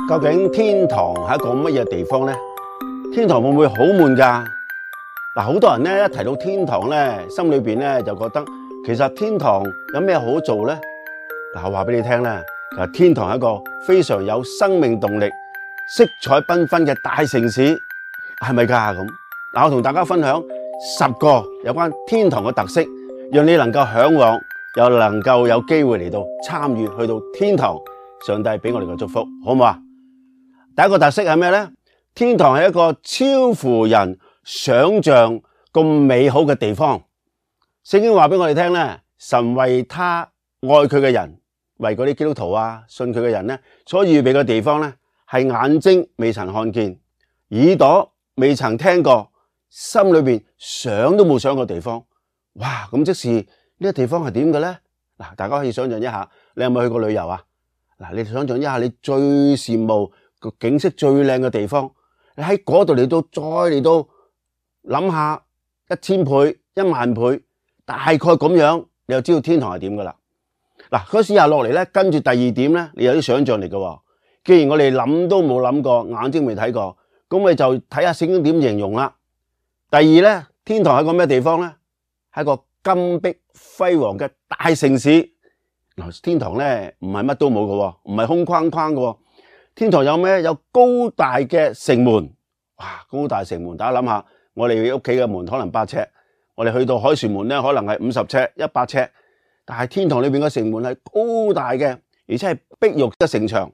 究竟天堂係一個乜嘢地方呢？天堂會唔會好悶㗎？嗱，好多人咧一提到天堂咧，心裏邊咧就覺得其實天堂有咩好做呢？嗱，我話俾你聽咧，其實天堂係一個非常有生命動力、色彩繽紛嘅大城市，係咪㗎咁？嗱，我同大家分享10個有關天堂嘅特色，讓你能夠嚮往，又能夠有機會嚟到參與去到天堂。上帝俾我哋嘅祝福，好唔好啊？第一個特色係咩呢？天堂係一個超乎人想象咁美好嘅地方。聖經話俾我哋聽咧，神為他愛佢嘅人，為嗰啲基督徒啊、信佢嘅人咧，所預備嘅地方咧，係眼睛未曾看見，耳朵未曾聽過，心裏邊想都冇想過地方。哇！咁即是呢個地方係點嘅咧？嗱，大家可以想象一下，你有冇去過旅遊啊？嗱，你想象一下，你最羨慕個景色最靚嘅地方，你喺嗰度嚟到，再嚟到諗下1000倍、10000倍，大概咁樣，你就知道天堂係點噶啦。嗱，嗰時下落嚟咧，跟住第二點咧，你有啲想象力嘅。既然我哋諗都冇諗過，眼睛未睇過，咁我哋就睇下聖經點形容啦。第二咧，天堂係個咩地方咧？係個金碧輝煌嘅大城市。天堂咧唔係乜都冇嘅，唔係空框框嘅。天堂有咩？有高大嘅城門，哇！高大城門，大家諗下，我哋屋企嘅門可能8尺，我哋去到凱旋門咧，可能係50尺、100尺。但係天堂裏邊嘅城門係高大嘅，而且係碧玉嘅城牆。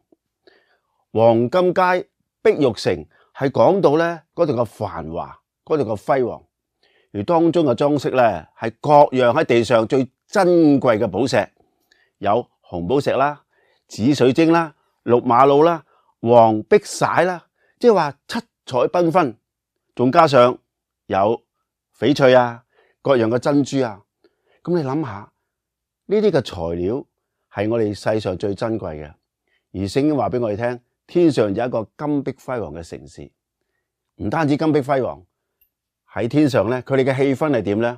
黃金街碧玉城係講到咧嗰度嘅繁華，嗰度嘅輝煌，而當中嘅裝飾咧係各樣喺地上最珍貴嘅寶石。有紅寶石啦、紫水晶啦、綠瑪瑙啦、黃碧璽啦，即係話七彩繽紛，仲加上有翡翠啊、各樣嘅珍珠啊。咁你諗下，呢啲嘅材料係我哋世上最珍貴嘅。而聖經話俾我哋聽，天上有一個金碧輝煌嘅城市，唔單止金碧輝煌，喺天上咧，佢哋嘅氣氛係點咧？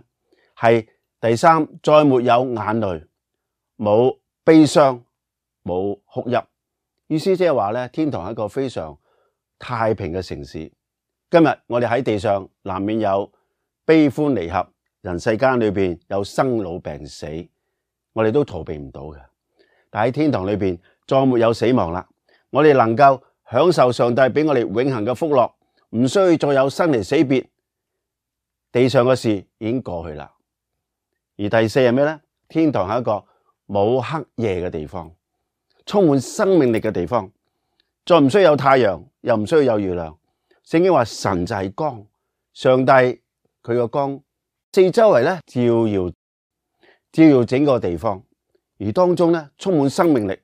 係第三，再沒有眼淚。冇悲傷，冇哭泣，意思即係話咧，天堂係一個非常太平嘅城市。今日我哋喺地上難免有悲歡離合，人世間裏邊有生老病死，我哋都逃避唔到嘅。但喺天堂裏邊再沒有死亡啦，我哋能夠享受上帝俾我哋永恆嘅福樂，唔需要再有生離死別，地上嘅事已經過去啦。而第四係咩咧？天堂係一個冇黑夜嘅地方，充滿生命力嘅地方，再唔需要有太陽，又唔需要有月亮。聖經話神就係光，上帝佢個光四周圍咧照耀整個地方，而當中咧充滿生命力。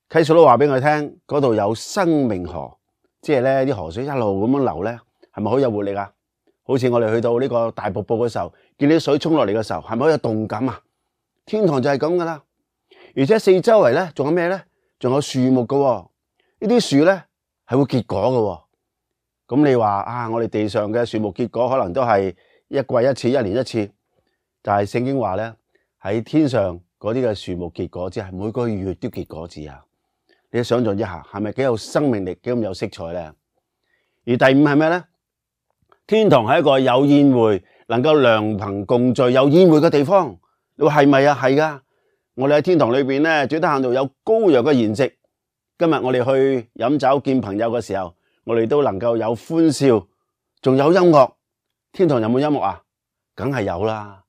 啟示錄都話俾我聽，嗰度有生命河，即係咧啲河水一路咁樣流咧，係咪好有活力啊？好似我哋去到呢個大瀑布嘅時候，見啲水沖落嚟嘅時候，係咪好有動感啊？天堂就係咁噶啦，而且四周圍咧仲有咩咧？仲有樹木噶，呢啲樹咧係會結果噶。咁你話啊，我哋地上嘅樹木結果可能都係一季一次、1年1次，但係聖經話咧喺天上嗰啲嘅樹木結果子係每個月都結果子啊！你想象一下，係咪幾有生命力、幾咁有色彩咧？而第五係咩咧？天堂係一個有宴會、能夠良朋共聚、有宴會嘅地方。你話係咪啊？係噶，我哋喺天堂裏邊咧，最得閒度有羔羊嘅筵席。今日我哋去飲酒見朋友嘅時候，我哋都能夠有歡笑，仲有音樂。天堂有冇音樂啊？梗係有啦。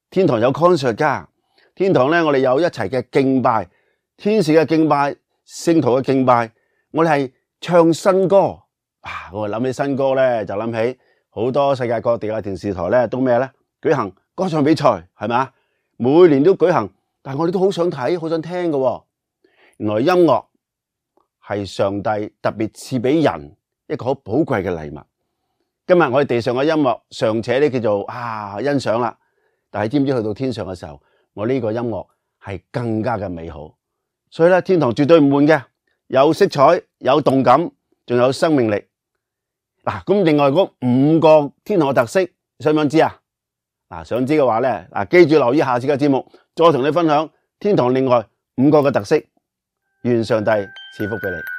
天堂有 concert 噶。天堂咧，我哋有一齊嘅敬拜，天使嘅敬拜，聖徒嘅敬拜。我哋係唱新歌。我諗起新歌咧，就諗起好多世界各地嘅電視台咧，都咩咧？舉行歌唱比賽，係咪？每年都舉行，但係我哋都好想睇，好想聽嘅。原來音樂係上帝特別賜俾人一個好寶貴嘅禮物。今日我哋地上嘅音樂尚且呢叫做欣賞啦，但係知唔知去到天上嘅時候，我呢個音樂係更加嘅美好。所以咧，天堂絕對唔悶嘅，有色彩，有動感，仲有生命力。咁另外嗰5個天堂嘅特色，想唔想知啊？想知嘅話咧，記住留意下次嘅節目，再同你分享天堂另外5個嘅特色。願上帝賜福俾你。